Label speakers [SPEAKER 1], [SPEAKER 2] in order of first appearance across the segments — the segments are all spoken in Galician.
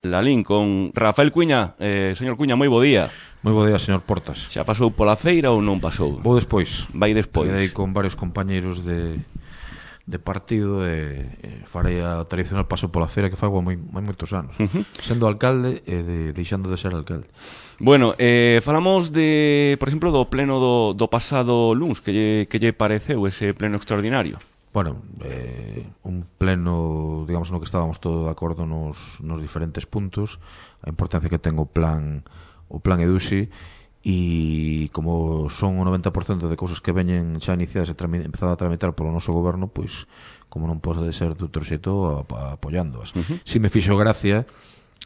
[SPEAKER 1] Lalín con Rafael Cuña. Señor Cuña, moi bo día.
[SPEAKER 2] Moi bo día, señor Portas.
[SPEAKER 1] Xa pasou pola feira ou non pasou?
[SPEAKER 2] Vou despois.
[SPEAKER 1] Vai despois.
[SPEAKER 2] Quedei con varios compañeiros de partido e farei a tradicional paso pola feira que fago moi moitos anos. Sendo alcalde e deixando de ser alcalde.
[SPEAKER 1] Bueno, falamos de, por exemplo, do pleno do pasado luns. Que lle pareceu ese pleno extraordinario?
[SPEAKER 2] Bueno, un pleno, digamos, no que estábamos todos de acordo nos diferentes puntos, a importancia que ten o plan EDUSI, e como son o 90% de cousas que veñen xa iniciadas e empezado a tramitar polo noso goberno, pois, como non pode ser de outro xeito, apoiándoas. Si me fixo gracia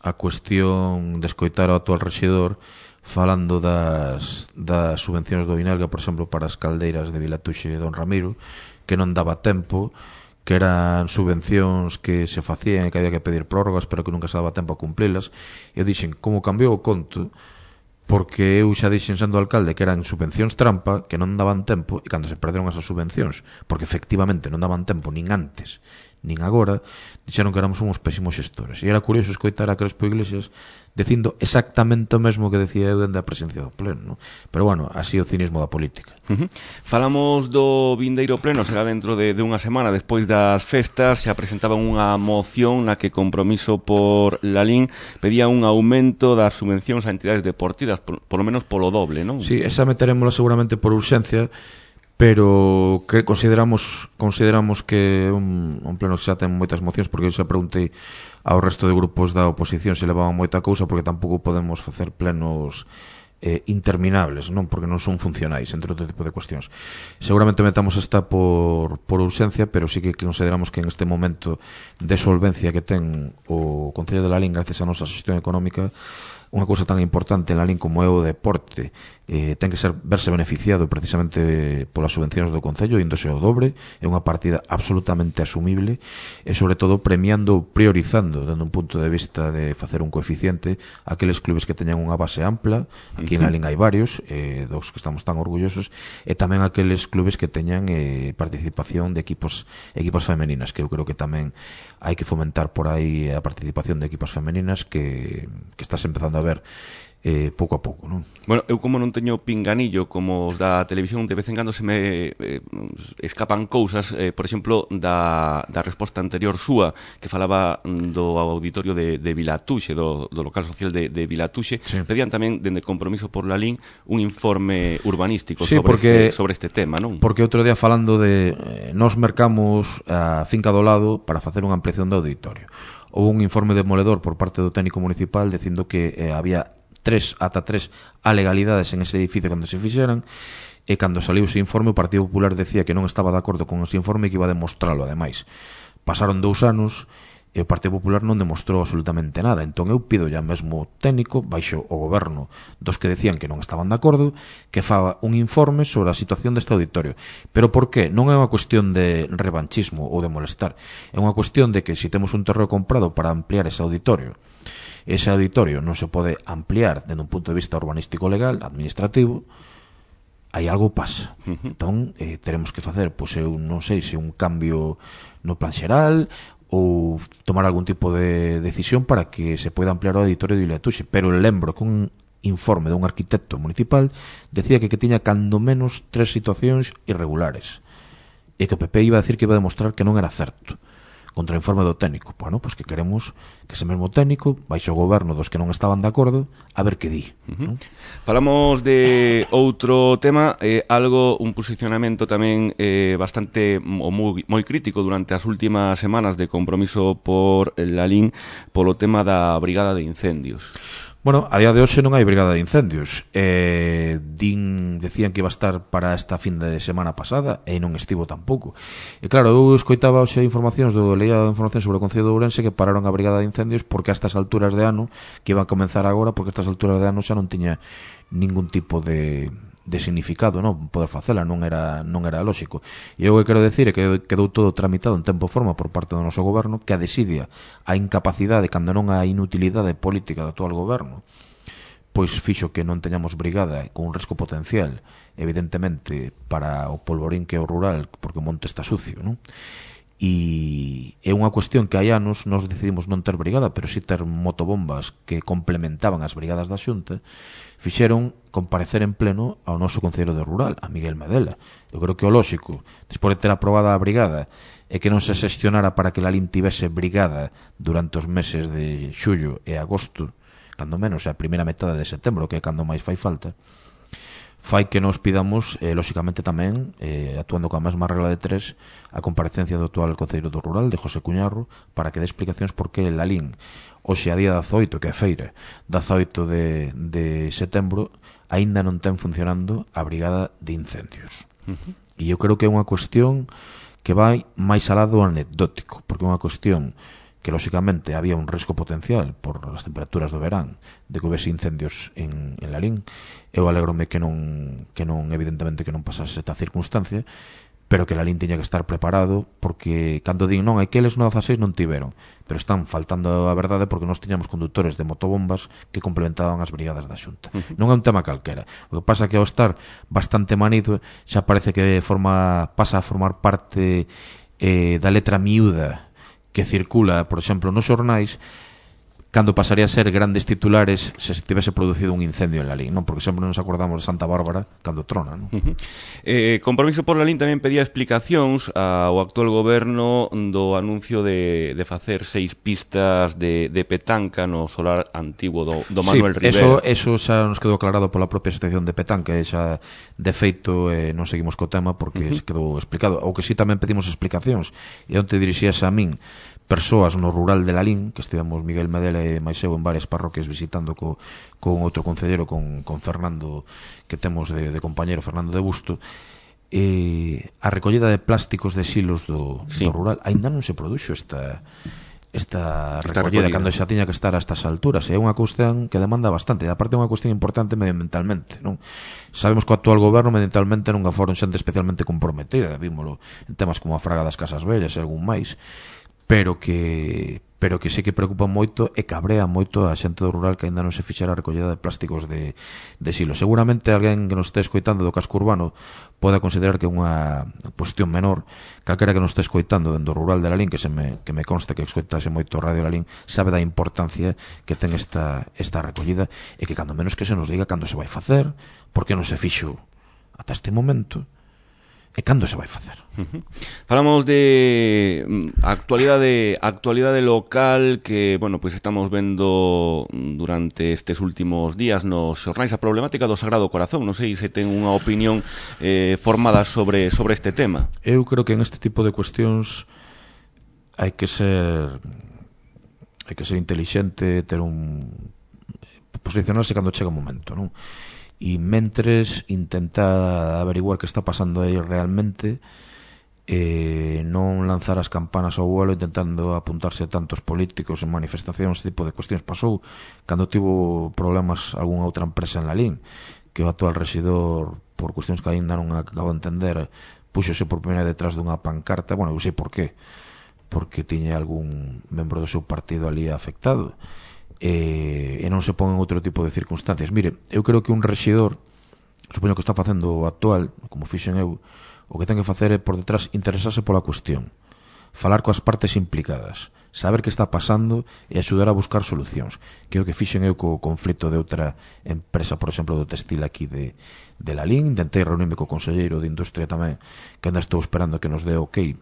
[SPEAKER 2] a cuestión de escoitar ao actual rexedor falando das subvencións do Inelga, por exemplo, para as caldeiras de Vilatuxe e Don Ramiro, que non daba tempo, que eran subvencións que se facían e que había que pedir prórrogas, pero que nunca se daba tempo a cumplilas. E eu dixen, como cambiou o conto, porque eu xa dixen sendo alcalde que eran subvencións trampa, que non daban tempo, e cando se perderon esas subvencións, porque efectivamente non daban tempo nin antes nin agora, dixeron que éramos uns pésimos xestores. E era curioso escoitar a Crespo Iglesias dicindo exactamente o mesmo que decía eu dende a presencia do pleno, ¿no? Pero bueno, así o cinismo da política.
[SPEAKER 1] Falamos do vindeiro pleno, será dentro de unha semana despois das festas. Se presentaban unha moción na que Compromiso por Lalín pedía un aumento das subvencións a entidades deportivas, polo menos polo doble, non?
[SPEAKER 2] Sí, esa meteremosla seguramente por urxencia, pero que consideramos que un pleno que xa ten moitas mocións, porque eu xa preguntei ao resto de grupos da oposición se levaban moita cousa, porque tampouco podemos facer plenos interminables, non, porque non son funcionais, entre outro tipo de cuestións. Seguramente metamos esta por urxencia, pero sí que consideramos que en este momento de solvencia que ten o Concello de Lalín gracias á nosa xestión económica, unha cousa tan importante en Lalín como é o deporte ten que verse beneficiado precisamente polas subvencións do Concello, índose o dobre, é unha partida absolutamente asumible e sobre todo premiando, priorizando dende un punto de vista de facer un coeficiente aqueles clubes que teñan unha base ampla. Aquí en Lalín hai varios dos que estamos tan orgullosos, e tamén aqueles clubes que teñan participación de equipos femeninas, que eu creo que tamén hai que fomentar por aí a participación de equipas femeninas que estás empezando a ver pouco a pouco, non?
[SPEAKER 1] Bueno, eu como non teño pinganillo como os da televisión, de vez en cando se me escapan cousas, por exemplo, da resposta anterior súa, que falaba do auditorio de Vilatuxe, do local social de Vilatuxe. Sí. Pedían tamén, dende Compromiso por Lalín, un informe urbanístico, sí, sobre este tema, non?
[SPEAKER 2] Porque outro día falando de nos mercamos a finca do lado para facer unha ampliación do auditorio. Houve un informe demoledor por parte do técnico municipal dicindo que había ata tres alegalidades en ese edificio cando se fixeran, e cando saliu ese informe o Partido Popular decía que non estaba de acordo con ese informe e que iba a demostralo. Ademais, pasaron 2 anos e o Partido Popular non demostrou absolutamente nada. Entón eu pido ya mesmo técnico, baixo o goberno dos que decían que non estaban de acordo, que faga un informe sobre a situación deste auditorio. Pero por qué? Non é unha cuestión de revanchismo ou de molestar, é unha cuestión de que se temos un terreo comprado para ampliar ese auditorio non se pode ampliar desde un punto de vista urbanístico legal, administrativo, aí algo pasa. Entón, teremos que facer, pois eu non sei se un cambio no plan xeral ou tomar algún tipo de decisión para que se poida ampliar o auditorio de Vilatuxe, pero lembro que un informe dun arquitecto municipal decía que tiña cando menos 3 situacións irregulares e que o PP iba a decir que iba a demostrar que non era certo contra o informe do técnico. Bueno, pois que queremos que ese mesmo técnico baixo o goberno dos que non estaban de acordo a ver que di. ¿No?
[SPEAKER 1] Falamos de outro tema, un posicionamento tamén bastante moi crítico durante as últimas semanas de Compromiso por Lalín polo tema da brigada de incendios.
[SPEAKER 2] Bueno, a día de hoxe non hai brigada de incendios. Decían que iba a estar para esta fin de semana pasada e non estivo tampouco. E claro, eu escoitaba hoxe leía información sobre o Concello de Ourense que pararon a brigada de incendios porque a estas alturas de ano, que iba a comenzar agora, porque a estas alturas de ano xa non tiña ningún tipo de significado, non poder facela, non era lóxico. E eu que quero decir é que quedou todo tramitado en tempo e forma por parte do noso goberno, que a desidia, a incapacidade, cando non a inutilidade política do actual goberno, pois fixo que non teñamos brigada con un risco potencial, evidentemente, para o polvorín que é o rural, porque o monte está sucio, non? e é unha cuestión que hai anos nós decidimos non ter brigada, pero si ter motobombas que complementaban as brigadas da Xunta, fixeron comparecer en pleno ao noso concelleiro de Rural, a Miguel Medela. Eu creo que o lóxico, despois de ter aprobada a brigada, é que non se xestionara para que Lalín tivese brigada durante os meses de xullo e agosto, cando menos a primeira metade de setembro, que é cando máis fai falta, fai que nos pidamos, lóxicamente tamén, actuando coa mesma regla de tres, a comparecencia do actual concelleiro do Rural, de José Cuñarro, para que dé explicacións por que Lalín, hoxe a día 18, que é feira, 18 de setembro, aínda non ten funcionando a brigada de incendios. E eu creo que é unha cuestión que vai máis alá do anecdótico, porque é unha cuestión que lóxicamente había un risco potencial por as temperaturas do verán de que houvese incendios en Lalín. Eu alégrome que non evidentemente que non pasase esta circunstancia, pero que Lalín tiña que estar preparado, porque cando din non, aqueles no 16 non tiveron, pero están faltando a verdade porque nós tiñamos conductores de motobombas que complementaban as brigadas da Xunta. Non é un tema calquera. O que pasa é que ao estar bastante manido xa parece que pasa a formar parte da letra miúda que circula, por exemplo, nos xornais, cando pasaría a ser grandes titulares se tivese producido un incendio en Lalín, non? Porque sempre nos acordamos de Santa Bárbara cando trona, non?
[SPEAKER 1] Compromiso por Lalín tamén pedía explicacións ao actual goberno do anuncio de facer 6 pistas de petanca no solar antigo do Manuel Rivera.
[SPEAKER 2] Eso xa nos quedou aclarado pola propia asociación de petanca, e xa de feito non seguimos co tema porque se quedou explicado. O que sí tamén pedimos explicacións, e onte dirixíase a min persoas no rural de Lalín, que estivemos Miguel Medela e máis eu en varias parroquias visitando con outro concellero, con Fernando, que temos de compañero, Fernando de Busto, a recollida de plásticos de silos do rural. Aínda non se produxo esta recollida cando xa tiña que estar a estas alturas. É unha cuestión que demanda bastante, e aparte é unha cuestión importante medioambientalmente, non? Sabemos que o actual goberno medioambientalmente non foron xente especialmente comprometida, vímolo en temas como a fraga das casas vellas e algún máis, pero que sí que preocupa moito e cabrea moito a xente do rural que aínda non se fixera a recollida de plásticos de silo. Seguramente alguén que nos este escoitando do casco urbano pode considerar que é unha cuestión menor. Calquera que nos este escoitando do rural de Lalín, que me consta que escoitase moito Radio Lalín, sabe da importancia que ten esta recollida, e que cando menos que se nos diga cando se vai facer, porque non se fixo ata este momento, e cando se vai facer.
[SPEAKER 1] Falamos de actualidade local que, bueno, pois estamos vendo durante estes últimos días nos xornais a problemática do Sagrado Corazón. Non sei se ten unha opinión formada sobre este tema.
[SPEAKER 2] Eu creo que en este tipo de cuestións hai que ser intelixente, ter posicionarse cando chega o momento, non? E mentres intenta averiguar que está pasando aí realmente, non lanzar as campanas ao vuelo intentando apuntarse a tantos políticos en manifestacións, ese tipo de cuestións. Pasou cando tivo problemas algunha outra empresa en Lalín, que o actual rexidor, por cuestións que ainda non acabo de entender, púxose por primeira detrás dunha pancarta. Bueno, eu sei por qué, porque tiña algún membro do seu partido ali afectado, e non se pon en outro tipo de circunstancias. Mire, eu creo que un rexidor, supoño que está facendo o actual, como fixen eu, o que ten que facer é por detrás interesarse pola cuestión, falar coas partes implicadas, saber que está pasando e axudar a buscar solucións, que é o que fixen eu co conflito de outra empresa, por exemplo, do textil aquí de Lalín. Intentei reunirme co conselleiro de Industria tamén, que ainda estou esperando que nos dé ok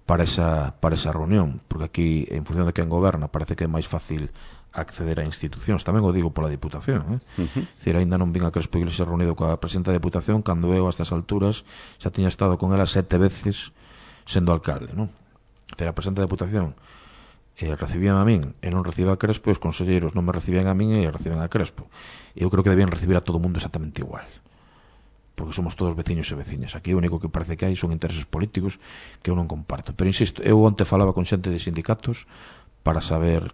[SPEAKER 2] para esa reunión, porque aquí, en función de quen goberna, parece que é máis fácil acceder a institucións. Tamén o digo pola Diputación, Dicir, ainda non vin a Crespo Iglesias reunido coa presidenta da Diputación, cando eu a estas alturas xa tiña estado con ela 7 veces sendo alcalde, non? Dicir, a presidenta da Diputación recibían a min e non recibía a Crespo, e os conselleiros non me recibían a min e reciben a Crespo. Eu creo que debían recibir a todo o mundo exactamente igual, porque somos todos veciños e veciñas. Aquí o único que parece que hai son intereses políticos que eu non comparto. Pero insisto, eu onte falaba con xente de sindicatos para saber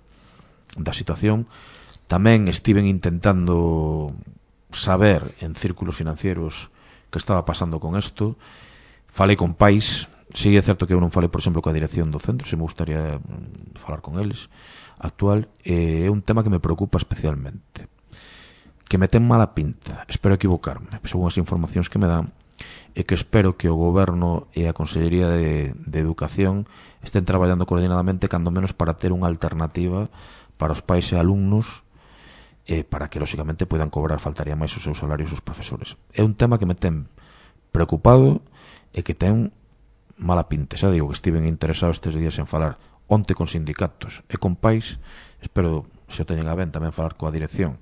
[SPEAKER 2] da situación. Tamén estiven intentando saber en círculos financieros que estaba pasando con isto. Falei con pais. Si é certo que eu non falei, por exemplo, coa dirección do centro, se me gustaría falar con eles actual. É un tema que me preocupa especialmente, que me ten mala pinta, espero equivocarme, son as informacións que me dan, e que espero que o Goberno e a Consellería de Educación estén traballando coordinadamente, cando menos para ter unha alternativa para os pais e alumnos, para que, lóxicamente, poidan cobrar, faltaría máis, os seus salarios os profesores. É un tema que me ten preocupado e que ten mala pinta. Xa digo que estiven interesado estes días en falar onte con sindicatos e con pais. Espero, se o teñen a ben, tamén falar coa dirección,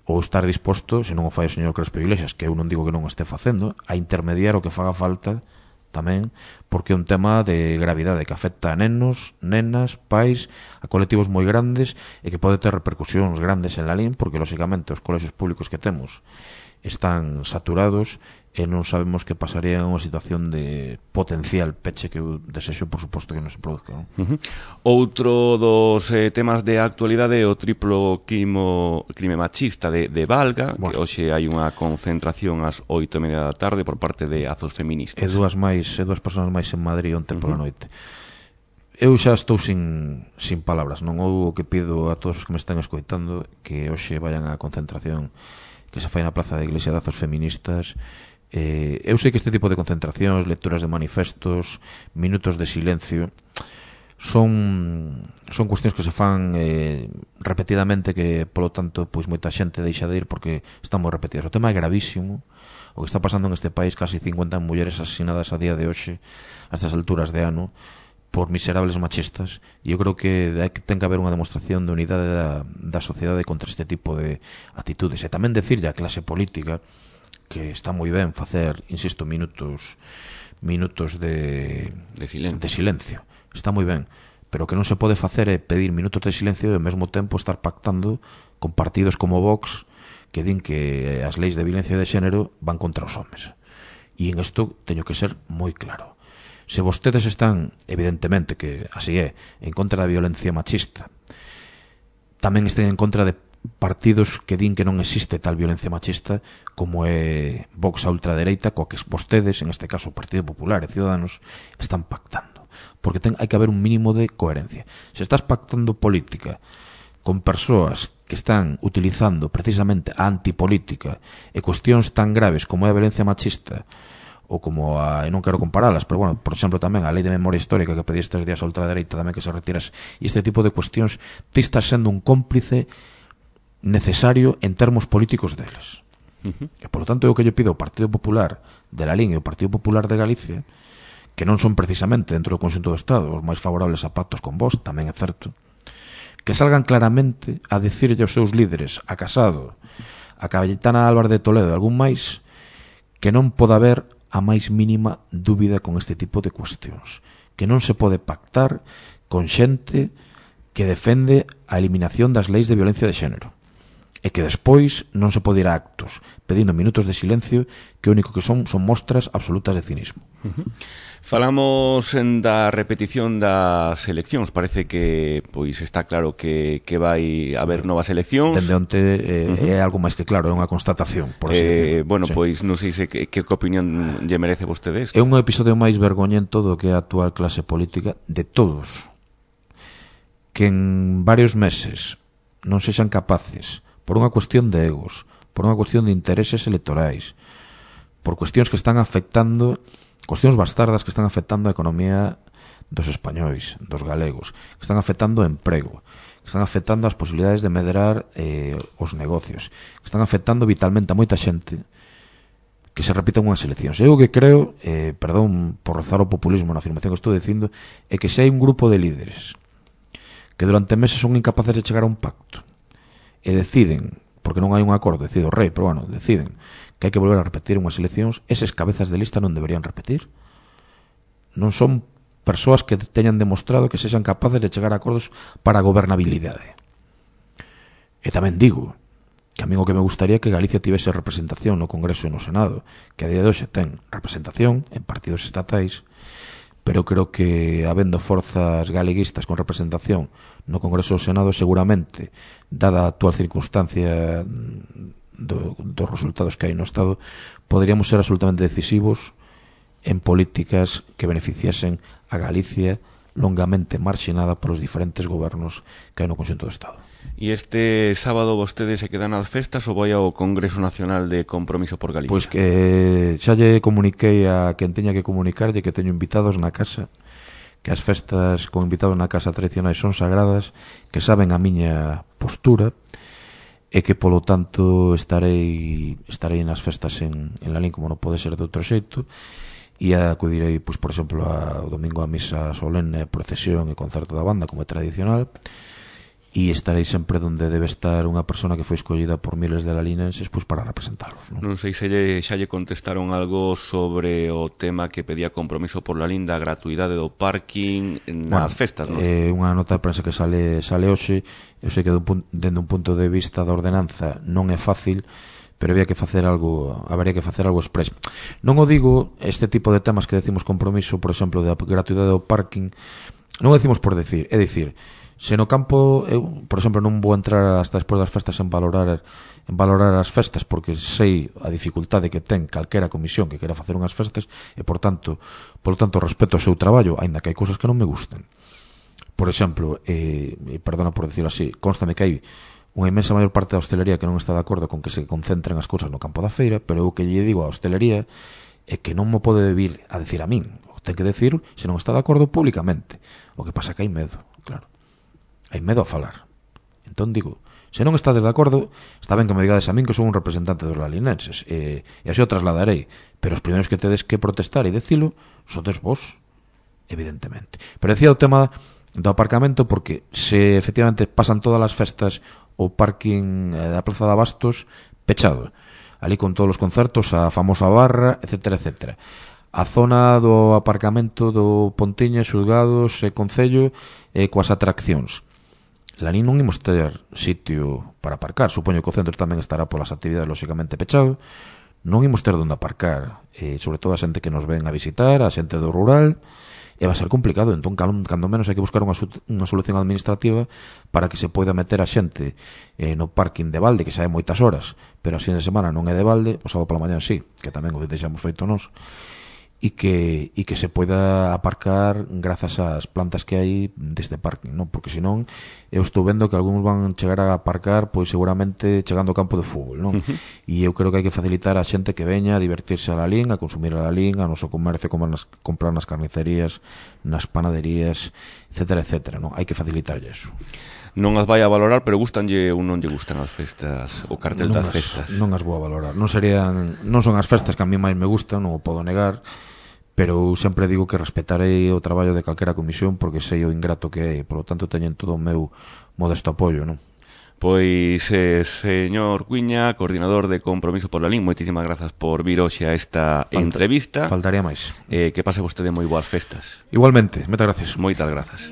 [SPEAKER 2] ou estar disposto, se non o fai o señor Crespo Iglesias, que eu non digo que non o este facendo, a intermediar o que faga falta tamén, porque é un tema de gravidade que afecta a nenos, nenas, pais, a colectivos moi grandes e que pode ter repercusións grandes en la LIN, porque, lóxicamente, os colexios públicos que temos están saturados e non sabemos que pasaría en unha situación de potencial peche, que eu desexo, por suposto, que non se produzca, non?
[SPEAKER 1] Outro dos temas de actualidade é o triplo crime machista de Valga, que hoxe hai unha concentración ás 8:30 da tarde por parte de Azos Feministas.
[SPEAKER 2] E dúas persoas máis en Madrid onte pola noite. Eu xa estou sin palabras, non? O que pido a todos os que me están escoitando que hoxe vayan á concentración que se fai na Plaza da Iglesia de Azos Feministas. Eu sei que este tipo de concentracións, lecturas de manifestos, minutos de silencio, son cuestións que se fan repetidamente, que, polo tanto, pois moita xente deixa de ir porque están moi repetidas. O tema é gravísimo. O que está pasando en este país, casi 50 mulleres asesinadas a día de hoxe, a estas alturas de ano, por miserables machistas, e eu creo que ten que haber unha demostración de unidade da sociedade contra este tipo de actitudes. E tamén decirlle á clase política que está moi ben facer, insisto, minutos de silencio. Está moi ben, pero que non se pode facer é pedir minutos de silencio e ao mesmo tempo estar pactando con partidos como Vox, que din que as leis de violencia de xénero van contra os homes. E en isto teño que ser moi claro. Se vostedes están, evidentemente, que así é, en contra da violencia machista, tamén estén en contra de partidos que din que non existe tal violencia machista, como é Vox a ultradereita, coa que vostedes, en este caso o Partido Popular e Ciudadanos, están pactando. Porque hai que haber un mínimo de coherencia. Se estás pactando política con persoas que están utilizando precisamente a antipolítica e cuestións tan graves como é a violencia machista, ou como e non quero comparalas, pero, bueno, por exemplo, tamén a lei de memoria histórica que pedí estes días a ultradereita tamén que se retiras, e este tipo de cuestións, ti estás sendo un cómplice necesario en termos políticos deles. E, por lo tanto, eu que lle pido ao Partido Popular de la LIN e ao Partido Popular de Galicia, que non son precisamente dentro do conxunto do Estado os máis favorables a pactos con vos, tamén é certo, que salgan claramente a dicirlle aos seus líderes, a Casado, a Cayetana Álvarez de Toledo e algún máis, que non pode haber a máis mínima dúbida con este tipo de cuestións, que non se pode pactar con xente que defende a eliminación das leis de violencia de xénero, e que despois non se pode ir a actos pedindo minutos de silencio que o único que son mostras absolutas de cinismo.
[SPEAKER 1] Falamos da repetición das eleccións. Parece que pois está claro que vai haber novas eleccións.
[SPEAKER 2] Dende onte é algo máis que claro, é unha constatación, por así decirlo.
[SPEAKER 1] Bueno, sí. Pois non sei se que opinión lle merece vostedes.
[SPEAKER 2] É un episodio máis vergoñento do que a actual clase política de todos, que en varios meses non sexan capaces, por unha cuestión de egos, por unha cuestión de intereses electorais, por cuestións que están afectando, cuestións bastardas que están afectando a economía dos españois, dos galegos, que están afectando o emprego, que están afectando as posibilidades de medrar os negocios, que están afectando vitalmente a moita xente, que se repitan unhas eleccións. Eu que creo, perdón por rozar o populismo na afirmación que estou dicindo, é que se hai un grupo de líderes que durante meses son incapaces de chegar a un pacto e deciden, porque non hai un acordo, decide o rei, pero, bueno, deciden que hai que volver a repetir unhas eleccións, eses cabezas de lista non deberían repetir. Non son persoas que teñan demostrado que sexan capaces de chegar a acordos para a gobernabilidade. E tamén digo que a mí o que me gustaría que Galicia tivese representación no Congreso e no Senado, que a día de hoxe ten representación en partidos estatais, pero creo que habendo forzas galeguistas con representación no Congreso e no Senado, seguramente, dada a actual circunstancia dos resultados que hai no Estado, poderíamos ser absolutamente decisivos en políticas que beneficiasen a Galicia longamente marxinada polos diferentes gobernos que hai no conxunto do Estado.
[SPEAKER 1] E este sábado vostedes se quedan nas festas ou vai ao Congreso Nacional de Compromiso por Galicia?
[SPEAKER 2] Pois que xa lle comuniquei a quen teña que comunicarlle que teño invitados na casa, que as festas con invitados na casa tradicionais son sagradas, que saben a miña postura, e que polo tanto estarei nas festas en Lalín como non pode ser de outro xeito, e acudirei, pois, por exemplo, o domingo a misa solene, procesión e concerto da banda como é tradicional, e estarei sempre onde debe estar unha persona que foi escollida por miles de lalinenses, pois, para representalos, non
[SPEAKER 1] sei se xa lle contestaron algo sobre o tema que pedía Compromiso por Lalín da gratuidade do parking nas festas, non?
[SPEAKER 2] Unha nota de prensa que sale hoxe. Eu sei que dende un punto de vista da ordenanza non é fácil, pero habería que facer algo express. Non o digo, este tipo de temas que decimos Compromiso, por exemplo, da gratuidade do parking, non o decimos por decir, é dicir, se no campo, eu, por exemplo, non vou entrar hasta despois das festas en valorar as festas, porque sei a dificultade que ten calquera comisión que quera facer unhas festas e, polo tanto, respeto o seu traballo, aínda que hai cousas que non me gustan. Por exemplo, perdona por decirlo así, constame que hai unha inmensa maior parte da hostelería que non está de acordo con que se concentren as cousas no campo da feira, pero eu que lle digo a hostelería é que non mo pode vir a decir a min, o ten que decir se non está de acordo públicamente. O que pasa é que hai medo, claro. Hai medo a falar. Entón digo, se non estades de acordo, está ben que me digades a min que son un representante dos lalinenses, e así o trasladarei, pero os primeiros que tedes que protestar e decilo sodes vos, evidentemente. Pero decía o tema do aparcamento, porque se efectivamente pasan todas as festas o parking da Praza de Abastos pechado, ali con todos os concertos, a famosa barra, etcétera, etcétera. A zona do aparcamento do Pontiña, Xulgados e Concello coas atraccións. Lalín non imos ter sitio para aparcar, supoño que o centro tamén estará polas actividades lóxicamente pechado, non imos ter onde aparcar, sobre todo a xente que nos ven a visitar, a xente do rural, e vai ser complicado. Entón, cando menos hai que buscar unha solución administrativa para que se poida meter a xente no parking de balde, que xa é moitas horas, pero a fin de semana non é de balde, o sábado pola mañá sí, que tamén o deixamos feito nós, e que se poida aparcar grazas ás plantas que hai deste parking, non? Porque senón eu estou vendo que algúns van chegar a aparcar pois seguramente chegando ao campo de fútbol, non? E eu creo que hai que facilitar a xente que veña a divertirse a Lalín, a consumir a Lalín, a noso comercio, como comprar nas carnicerías, nas panaderías, etcétera, etcétera, non? Hai que facilitarlle eso.
[SPEAKER 1] Non as vai a valorar, pero gustanlle ou non lle gustan as festas, o cartel das festas?
[SPEAKER 2] Non as vou a valorar. Non son as festas que a mí máis me gustan, non o podo negar, pero sempre digo que respetarei o traballo de calquera comisión porque sei o ingrato que é, e polo tanto teñen todo o meu modesto apoio, non?
[SPEAKER 1] Pois, señor Cuiña, coordinador de Compromiso por Lalín, moitísimas grazas por vir hoxe a esta entrevista.
[SPEAKER 2] Faltaría máis.
[SPEAKER 1] Que pase vostede moi boas festas.
[SPEAKER 2] Igualmente, moitas gracias.
[SPEAKER 1] Moitas grazas.